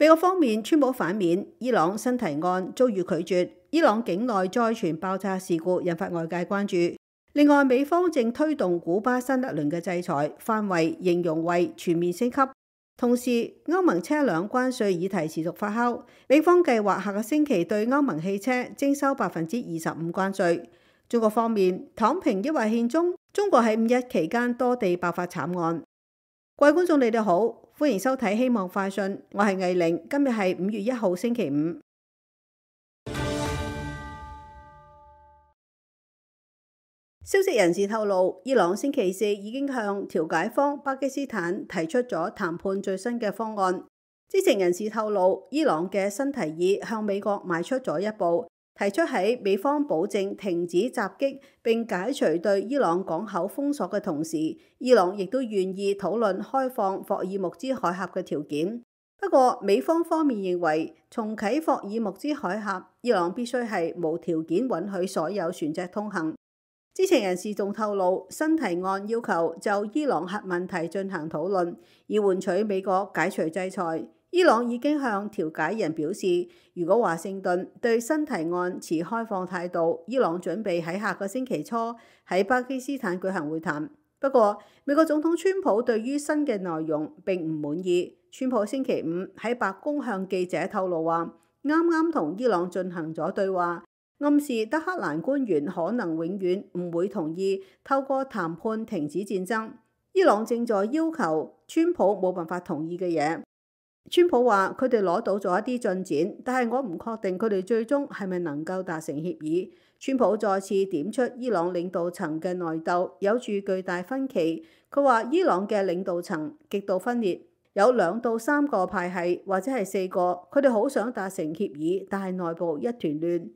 美國方面川普反面，伊朗新提案遭遇拒絕，伊朗境內再傳爆炸事故，引發外界關注。另外，美方正推動古巴新一輪嘅制裁，範圍形容為全面升級。同時，歐盟車輛關稅議題持續發酵，美方計劃下個星期對歐盟汽車徵收25%關稅。中國方面，躺平抑或獻中，中國喺五一期間多地爆發慘案。各位觀眾，你哋好，歡迎收睇《希望快訊》，我係藝玲，今日係5月1號星期五。消息人士透露，伊朗星期四已經向調解方巴基斯坦提出咗談判最新嘅方案。知情人士透露，伊朗嘅新提議向美國邁出咗一步，提出喺美方保證停止襲擊並解除對伊朗港口封鎖嘅同時，伊朗亦都願意討論開放霍爾木茲海峽嘅條件。不過，美方方面認為重啟霍爾木茲海峽，伊朗必須係無條件允許所有船隻通行。知情人士仲透露，新提案要求就伊朗核問題進行討論，以換取美國解除制裁。伊朗已經向調解人表示，如果華盛頓對新提案持開放態度，伊朗準備喺下個星期初喺巴基斯坦舉行會談。不過，美國總統川普對於新嘅內容並唔滿意。川普星期五喺白宮向記者透露話，啱啱同伊朗進行咗對話，暗示德黑蘭官員可能永遠唔會同意透過談判停止戰爭。伊朗正在要求川普冇辦法同意嘅嘢。川普話佢哋攞到咗一啲進展，但係我唔確定佢哋最終係咪能夠達成協議。川普再次點出伊朗領導層嘅內鬥有住巨大分歧。佢話伊朗嘅領導層極度分裂，有2到3個派系或者係4個，佢哋好想達成協議，但係內部一團亂。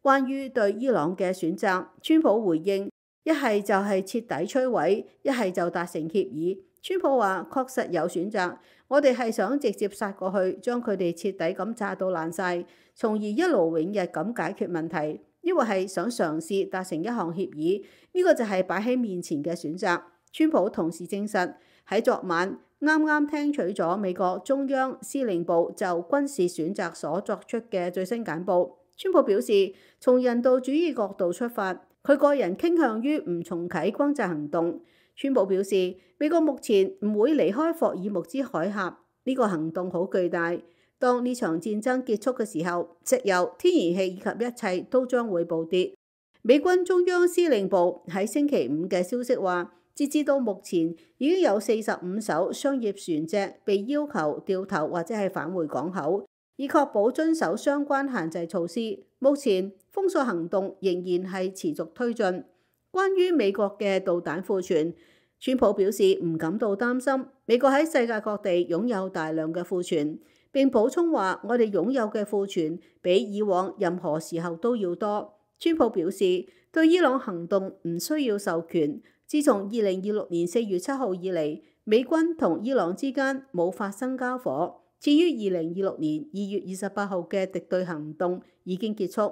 關於對伊朗嘅選擇，川普回應：一係就係徹底摧毀，一係就達成協議。川普話確實有選擇，我哋係想直接殺過去，將佢哋徹底咁炸到爛晒，從而一勞永逸咁解決問題，抑或係想嘗試達成一項協議，呢個就係擺喺面前嘅選擇。川普同時證實喺昨晚啱啱聽取咗美國中央司令部就軍事選擇所作出嘅最新簡報。川普表示，從人道主義角度出發，佢個人傾向於唔重啟轟炸行動。川普表示，美國目前唔會離開霍爾木茲海峽，呢個行動好巨大。當呢場戰爭結束嘅時候，石油、天然氣以及一切都將會暴跌。美軍中央司令部喺星期五嘅消息話，截至到目前已經有45艘商業船隻被要求掉頭或者係返回港口，以確保遵守相關限制措施。目前封鎖行動仍然係持續推進。關於美國嘅導彈庫存，川普表示唔感到擔心。美國喺世界各地擁有大量嘅庫存，並補充話我哋擁有嘅庫存比以往任何時候都要多。川普表示對伊朗行動唔需要授權。自從2026年4月7號以嚟，美軍同伊朗之間冇發生交火。至於2026年2月28號嘅敵對行動已經結束。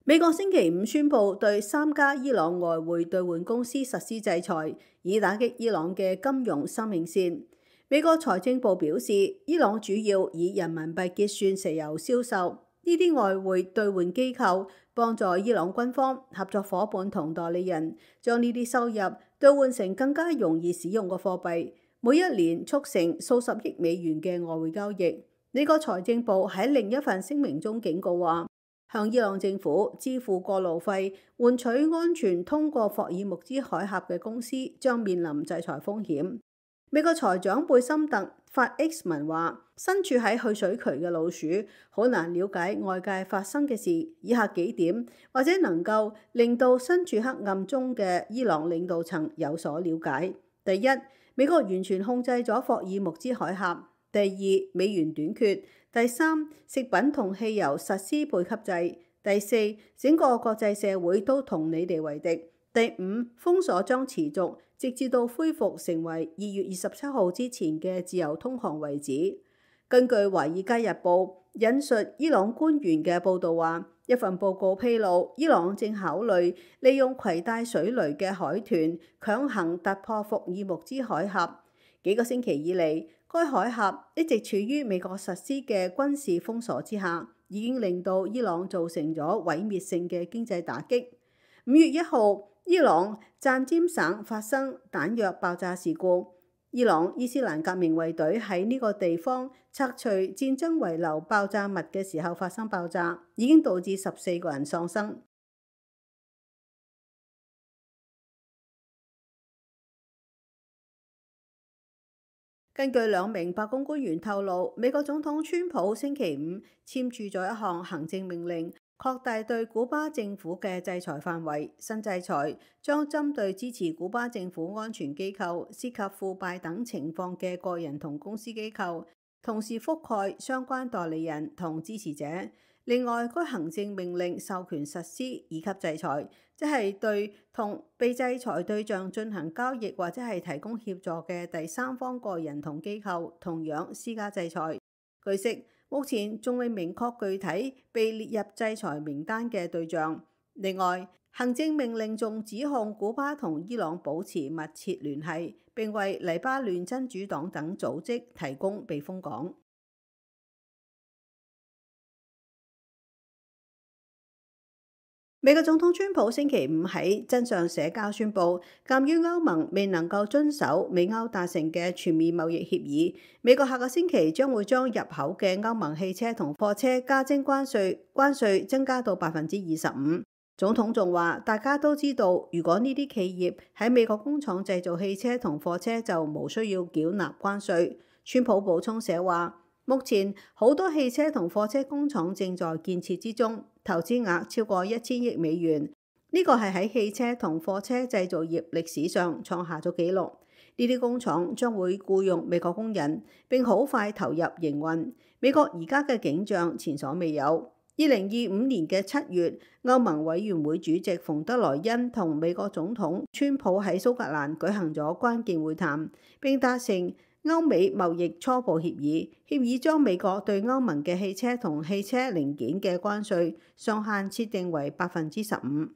美國星期五宣布對3家伊朗外匯兌換公司實施制裁，以打擊伊朗嘅金融生命線。美國財政部表示，伊朗主要以人民幣結算石油銷售，呢啲外匯兌換機構幫助伊朗軍方、合作伙伴同代理人將呢啲收入兌換成更加容易使用嘅貨幣，每一年促成數十億美元嘅外匯交易。美國財政部喺另一份聲明中警告話，向伊朗政府支付過路費，換取安全通過霍爾木茲海峽嘅公司將面臨制裁風險。美國財長貝森特發 X 文話，身處喺去水渠嘅老鼠好難了解外界發生嘅事。以下幾點或者能夠令到身處黑暗中嘅伊朗領導層有所了解。第一，美國完全控制咗霍爾木茲海峽。第二，美元短缺。第三，食品同汽油實施配給制。第四，整個國際社會都同你哋為敵。第五，封鎖將持續，直至到恢復成為2月27號之前嘅自由通航為止。根據《華爾街日報》引述伊朗官員嘅報導話，一份報告披露，伊朗正考慮利用攜帶水雷嘅海豚強行突破霍爾木茲海峽。幾個星期以嚟，該海峽一直處於美國實施嘅軍事封鎖之下，已經令到伊朗造成咗毀滅性嘅經濟打擊。5月1號，伊朗贊詹省發生彈藥爆炸事故。伊朗伊斯蘭革命衛隊喺呢個地方拆除戰爭遺留爆炸物嘅時候發生爆炸，已經導致14個人喪生。根據2名白宮官員透露，美國總統川普星期5簽署咗一項行政命令，擴大對古巴政府嘅制裁範圍。新制裁將針對支持古巴政府安全機構、涉及腐敗等情況嘅個人同公司機構，同時覆蓋相關代理人同支持者。另外，該行政命令授權實施二級制裁，即係對同被制裁對象進行交易或者係提供協助嘅第三方個人同機構，同樣施加制裁。據悉，目前仲未明確具體被列入制裁名單嘅對象。另外，行政命令仲指控古巴同伊朗保持密切聯繫，並為黎巴嫩真主黨等組織提供避風港。美國總統川普星期5喺真相社交宣布，鑑於歐盟未能夠遵守美歐達成嘅全面貿易協議，美國下個星期將會將入口嘅歐盟汽車同貨車加徵關稅增加到25%。總統仲話，大家都知道，如果呢啲企業喺美國工廠製造汽車同貨車，就無需要繳納關稅。川普補充寫話，目前好多汽車同貨車工廠正在建設之中，投資額超過1000億美元。呢個係喺汽車同貨車製造業歷史上創下咗紀錄。呢啲工廠將會僱用美國工人，並好快投入營運。美國而家嘅景象前所未有。2025年嘅7月，歐盟委員會主席馮德萊恩同美國總統川普喺蘇格蘭舉行咗關鍵會談，並達成歐美貿易初步協議，協議將美國對歐盟嘅汽車同汽車零件嘅關稅上限設定為15%。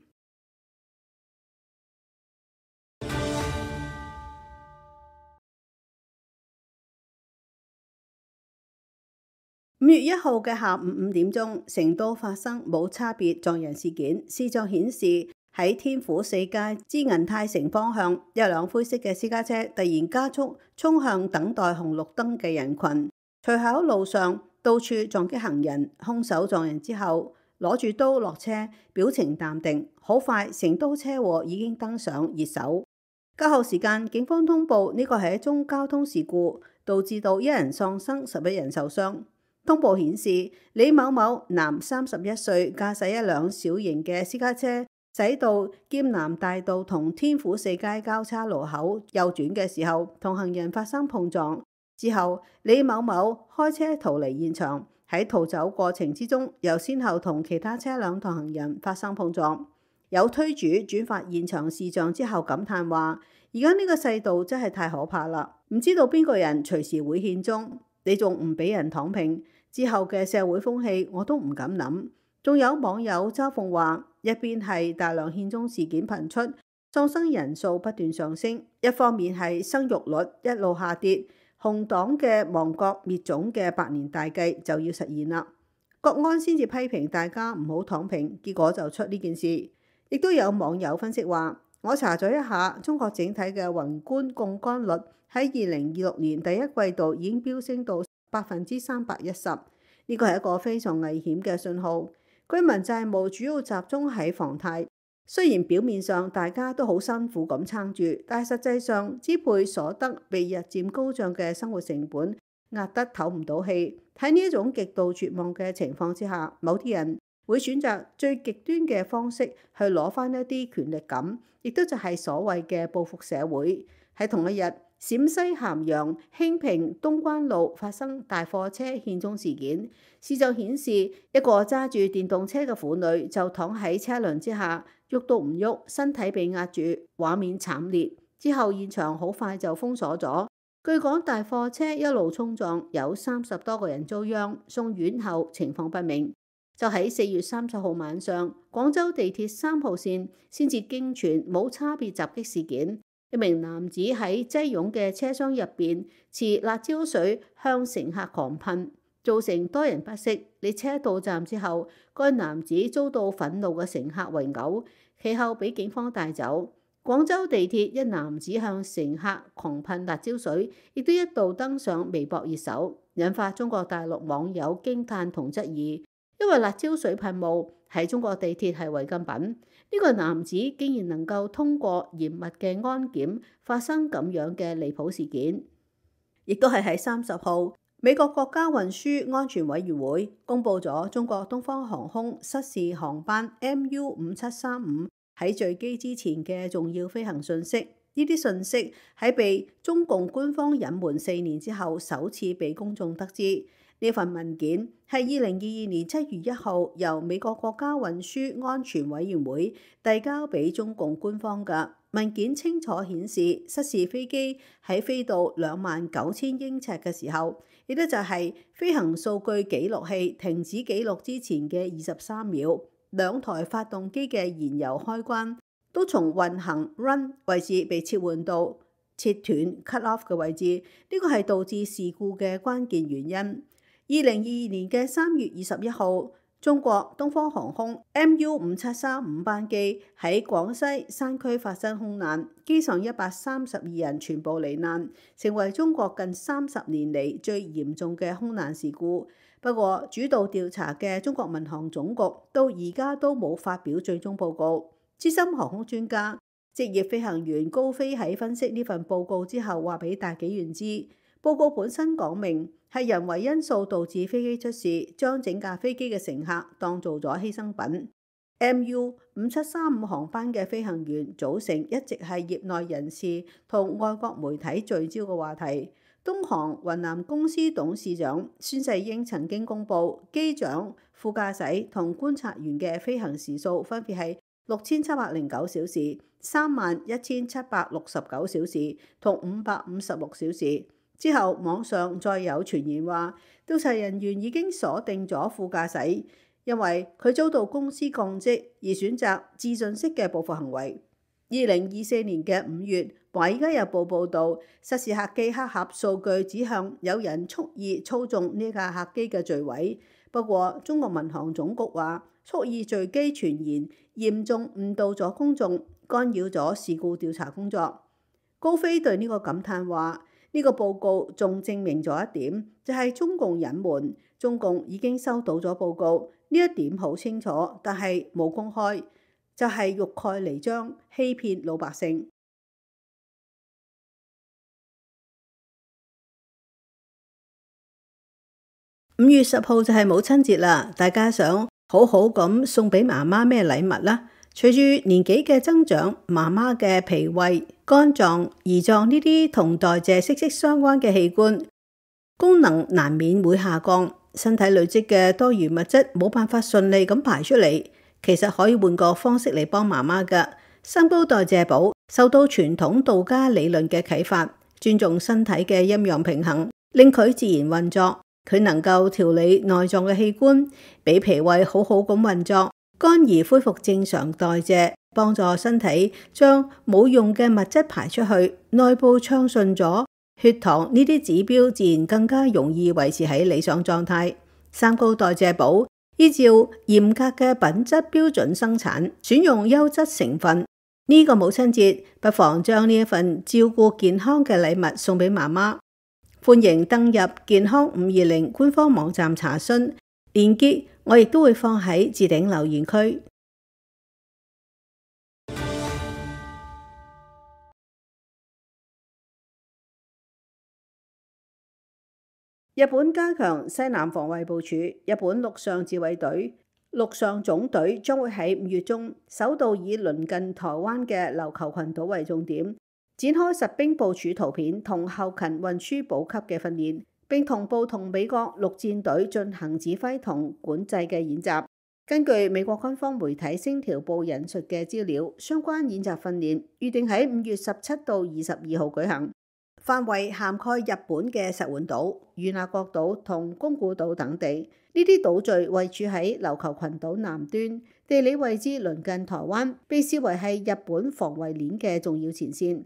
5月1號嘅下午5點鐘，成都發生冇差別撞人事件。視像顯示喺天府4街至銀泰城方向，一輛灰色嘅私家車突然加速衝向等待紅綠燈嘅人群，隨後喺路上到處撞擊行人。兇手撞人之後攞住刀落車，表情淡定。好快，成都車禍已經登上熱搜。較後時間，警方通報呢個係一宗交通事故，導致到1人喪生，11人受傷。通報顯示，李某某男31歲，駕駛一輛小型嘅私家車，駛到劍南大道同天府4街交叉路口右轉嘅時候，同行人發生碰撞。之後，李某某開車逃離現場，喺逃走過程之中，又先後同其他車輛同行人發生碰撞。有推主轉發現場視像之後感嘆話：而家呢個世道真係太可怕啦！唔知道邊個人隨時會獻鐘，你仲唔俾人躺平？之後嘅社會風氣我都唔敢諗。仲有網友嘲諷話，一邊係大量獻鐘事件頻出，喪生人數不斷上升，一方面係生育率一路下跌，紅黨嘅亡國滅種嘅百年大計就要實現啦。國安先至批評大家唔好躺平，結果就出呢件事。亦都有網友分析話，我查咗一下，中國整體嘅宏觀槓桿率喺2026年第一季度已經飆升到310%，呢個係一個非常危險嘅信號。居民債務主要集中喺房貸，雖然表面上大家都好辛苦咁撐住，但係實際上支配所得被日漸高漲嘅生活成本壓得唞唔到氣。喺呢一種極度絕望嘅情況之下，某啲人會選擇最極端嘅方式去攞翻一啲權力感，亦都就係所謂嘅報復社會。喺同一日，陝西咸陽興平東關路發生大貨車獻鐘事件，視像顯示一個揸住電動車嘅婦女就躺喺車輛之下，喐都唔喐，身體被壓住，畫面慘烈。之後現場好快就封鎖咗。據講大貨車一路衝撞，有30多個人遭殃，送院後情況不明。就喺4月30號晚上，廣州地鐵3號線先至驚傳冇差別襲擊事件。一名男子喺擠擁嘅車廂入邊持辣椒水向乘客狂噴，造成多人不適。列車到站之後，該男子遭到憤怒嘅乘客圍毆，其後被警方帶走。廣州地鐵一男子向乘客狂噴辣椒水，亦都一度登上微博熱搜，引發中國大陸網友驚嘆同質疑。因為辣椒水噴霧喺中國地鐵係違禁品，呢個男子竟然能夠通過嚴密嘅安檢發生咁樣嘅離譜事件。亦都係喺30號，美國國家運輸安全委員會公布咗中國東方航空失事航班 MU5735喺墜機之前嘅重要飛行信息。呢啲信息喺被中共官方隱瞞4年之後，首次被公眾得知。呢份文件係2022年7月1號由美國國家運輸安全委員會遞交俾中共官方嘅文件，清楚顯示失事飛機喺飛到29000英尺嘅時候，亦都就係飛行數據記錄器停止記錄之前嘅23秒，兩台發動機嘅燃油開關都從運行 run 位置被切換到切斷 cut off 嘅位置，呢個係導致事故嘅關鍵原因。2022年嘅3月21號，中國東方航空 MU5735班機喺廣西山區發生空難，機上132人全部罹難，成為中國近30年嚟最嚴重嘅空難事故。不過，主導調查嘅中國民航總局到而家都冇發表最終報告。資深航空專家、職業飛行員高飛喺分析呢份報告之後，話俾大紀元知，報告本身講明係人為因素導致飛機出事，將整架飛機嘅乘客當做咗犧牲品。MU5735航班嘅飛行員組成一直係業內人士同外國媒體聚焦嘅話題。東航雲南公司董事長孫世英曾經公布，機長、副駕駛同觀察員嘅飛行時數分別係6709小時、31769小時同556小時。之後網上再有傳言話，調查人員已經鎖定咗副駕駛，因為佢遭到公司降職而選擇自盡式嘅報復行為。2024年嘅5月，《華爾街日報》報導，失事客機黑盒數據指向有人蓄意操縱呢架客機嘅墜毀。不過，中國民航總局話，蓄意墜機傳言嚴重誤導咗公眾，干擾咗事故調查工作。高飛對呢個感嘆話：呢個報告仲證明咗一點，就係中共隱瞞，中共已經收到咗報告，呢一點好清楚，但係冇公開，就係欲蓋彌彰，欺騙老百姓。5月10號就係母親節啦，大家想好好咁送俾媽媽咩禮物啦？隨住年紀嘅增長，媽媽嘅脾胃、肝臟、胰臟呢啲同代謝息息相關嘅器官功能難免會下降，身體累積嘅多餘物質冇辦法順利咁排出嚟。其實可以換個方式嚟幫媽媽㗎。三高代謝寶受到傳統道家理論嘅啟發，尊重身體嘅陰陽平衡，令佢自然運作。佢能夠調理內臟嘅器官，俾脾胃好好咁運作，肝胰恢復正常代謝，幫助身體將冇用嘅物質排出去，內部暢順咗，血糖呢啲指標自然更加容易維持喺理想狀態。三高代謝寶依照嚴格嘅品質標準生產，選用優質成分。呢個母親節，不妨將呢一份照顧健康嘅禮物送俾媽媽。歡迎登入健康520官方網站查詢，鏈接我亦都會放喺置頂留言區。日本加強西南防衛部署，日本陸上自衛隊陸上總隊將會喺5月中首度以鄰近台灣嘅琉球群島為重點，展開實兵部署圖片同後勤運輸補給嘅訓練，並同步同美國陸戰隊進行指揮同管制嘅演習。根據美國軍方媒體星條報引述嘅資料，相關演習訓練預定喺5月17到22號舉行，範圍涵蓋日本嘅石垣島、與那國島同宮古島等地。呢啲島嶼位處喺琉球群島南端，地理位置鄰近台灣，被視為係日本防衛鏈嘅重要前線。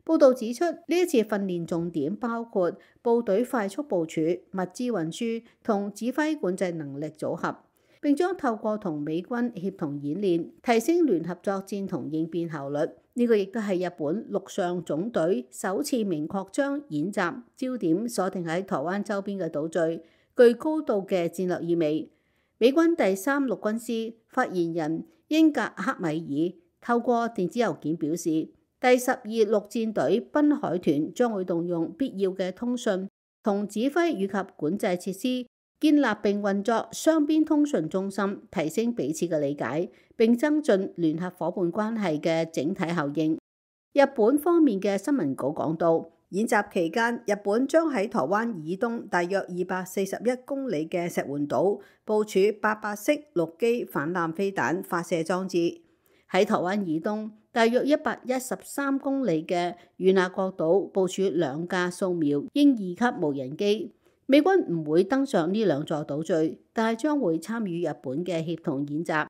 報道指出，呢一次訓練重點包括部隊快速部署、物資運輸同指揮管制能力組合，並將透過同美軍協同演練，提升聯合作戰同應變效率。呢個亦都係日本陸上總隊首次明確將演習焦點鎖定喺台灣周邊嘅島嶼，具高度嘅戰略意味。美軍第3陸軍師發言人英格克米爾透過電子郵件表示，第12陸戰隊濱海團將會動用必要嘅通訊同指揮以及管制設施，建立並運作雙邊通訊中心，提升彼此嘅理解，並增進聯合夥伴關係嘅整體效應。日本方面嘅新聞稿講到，演習期間，日本將喺台灣以東大約241公里嘅石垣島部署800式陸基反艦飛彈發射裝置。喺台灣以東大約113公里嘅與那國島部署2架掃描鷹2級無人機。美軍唔會登上呢2座島嶼，但係將會參與日本嘅協同演習。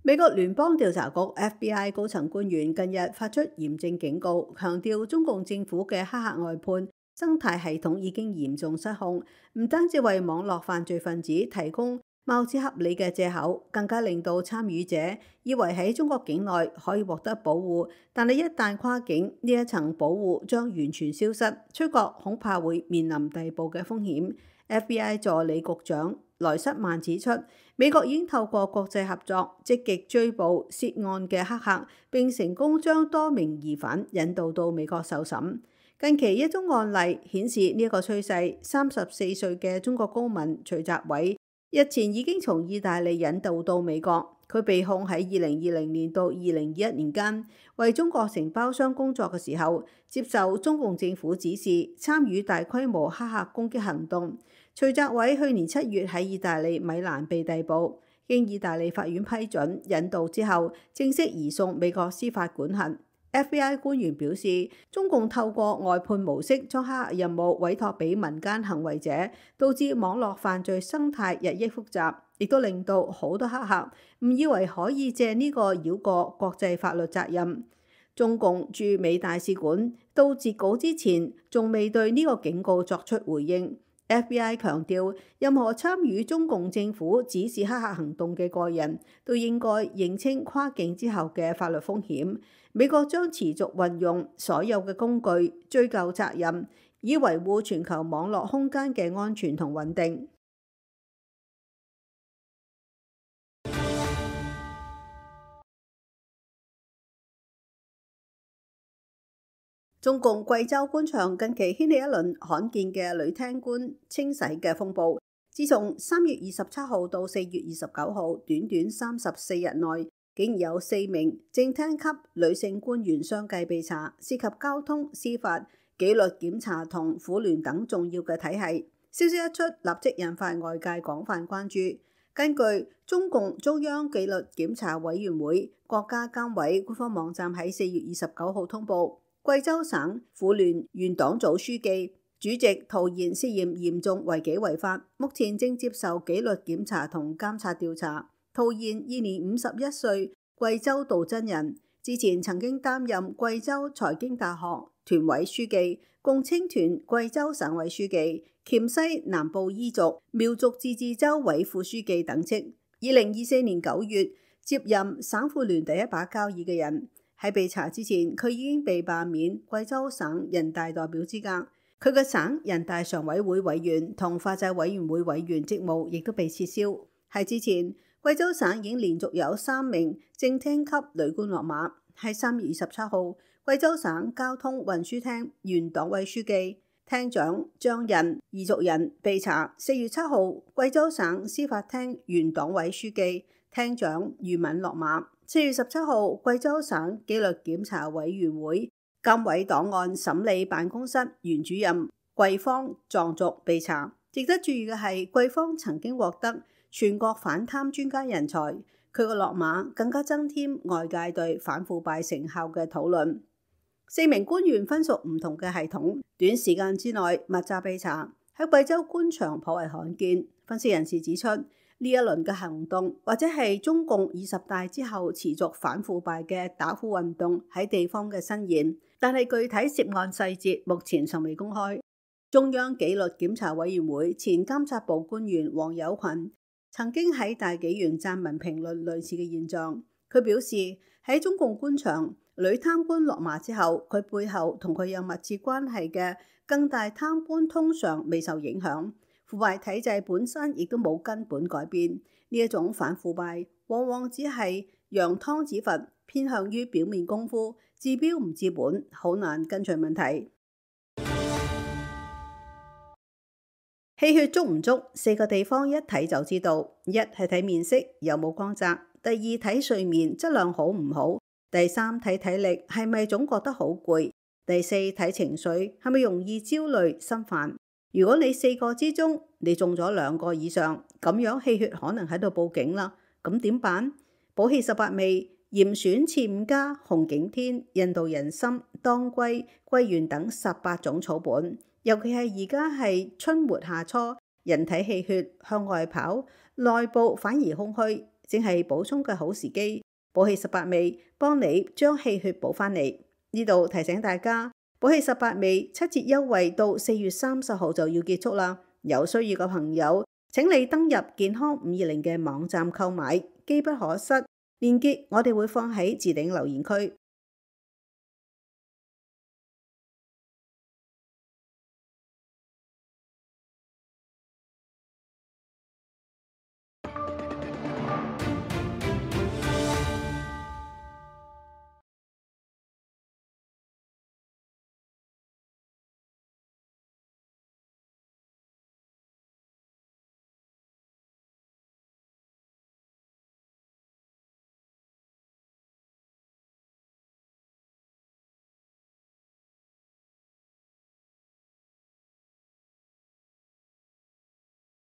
美國聯邦調查局 FBI 高層官員近日發出嚴正警告，強調中共政府嘅黑客外判生態系統已經嚴重失控，唔單止為網絡犯罪分子提供貌似合理嘅藉口，更加令到參與者以為喺中國境內可以獲得保護，但係一旦跨境，呢一層保護將完全消失，出國恐怕會面臨逮捕嘅風險。FBI 助理局長萊瑟曼指出，美國已經透過國際合作，積極追捕涉案嘅黑客，並成功將多名疑犯引渡到美國受審。近期一宗案例顯示呢一個趨勢，34歲嘅中國公民徐澤偉日前已經從意大利引渡到美國。佢被控喺2020年到2021年間為中國承包商工作嘅時候，接受中共政府指示參與大規模黑客攻擊行動。徐澤偉去年7月喺意大利米蘭被逮捕，經意大利法院批准引渡之後，正式移送美國司法管轄。FBI 官員表示，中共透過外判模式將黑客任務委託俾民間行為者，導致網絡犯罪生態日益複雜，亦都令到好多黑客誤以為可以借呢個繞過國際法律責任。中共駐美大使館到截稿之前，仲未對呢個警告作出回應。FBI 強調，任何參與中共政府指示黑客行動嘅個人都應該認清跨境之後嘅法律風險。美國將持續運用所有嘅工具追究責任，以維護全球網絡空間嘅安全同穩定。中共貴州官場近期掀起一輪罕見嘅女廳官清洗嘅風暴。自從3月27號到4月29號，短短34日內，竟然有4名正廳級女性官員相繼被查，涉及交通、司法、紀律檢查同婦聯等重要嘅體系。消息一出，立即引發外界廣泛關注。根據中共中央紀律檢查委員會國家監委官方網站喺4月29號通報，貴州省婦聯原黨組書記、主席陶嫣涉嫌嚴重違紀違法，目前正接受紀律檢查同監察調查。陶嫣現年51歲，貴州道真人，之前曾經擔任貴州財經大學團委書記、共青團貴州省委書記、黔西南部彝族苗族自治州委副書記等職。2024年9月接任省婦聯第一把交椅嘅人。喺被查之前，佢已經被罷免貴州省人大代表資格，佢嘅省人大常委會委員同法制委員會委員職務亦都被撤銷。喺之前，貴州省已經連續有3名正廳級女官落馬。喺3月27號，貴州省交通運輸廳原黨委書記、廳長張仁彝族人被查。4月7號，貴州省司法廳原黨委書記、廳長俞敏落馬。4月17號，貴州省紀律檢查委員會監委檔案審理辦公室原主任桂芳藏族被查。值得注意嘅係，桂芳曾經獲得全國反貪專家人才，佢個落馬更加增添外界對反腐敗成效嘅討論。4名官員分屬唔同嘅系統，短時間之內密集被查，喺貴州官場頗為罕見。分析人士指出，呢一輪嘅行動，或者係中共20大之後持續反腐敗嘅打虎運動喺地方嘅伸延，但係具體涉案細節目前尚未公開。中央紀律檢查委員會前監察部官員黃有群曾經喺大紀元撰文評論類似嘅現象。佢表示喺中共官場，女貪官落馬之後，佢背後同佢有密切關係嘅更大貪官通常未受影響。腐敗體制本身亦都冇根本改變，呢一種反腐敗往往只係揚湯止沸，偏向於表面功夫，治標唔治本，好難跟隨問題。氣血足唔足，4個地方一睇就知道：一係睇面色有冇光澤，第二睇睡眠質量好唔好，第三睇體力係咪總覺得好攰，第四睇情緒係咪容易焦慮心煩。如果你4個之中你中咗2個以上，咁樣氣血可能喺度報警啦。咁點辦？補氣18味、嚴選刺5加、紅景天、印度人參、當歸、桂圓等18種草本，尤其係而家係春末夏初，人體氣血向外跑，內部反而空虛，正係補充嘅好時機。補氣18味幫你將氣血補返嚟。呢度提醒大家，補氣18味7折優惠到4月30號就要結束啦。有需要嘅朋友，請你登入健康520嘅網站購買，機不可失。鏈接我哋會放喺置頂留言區。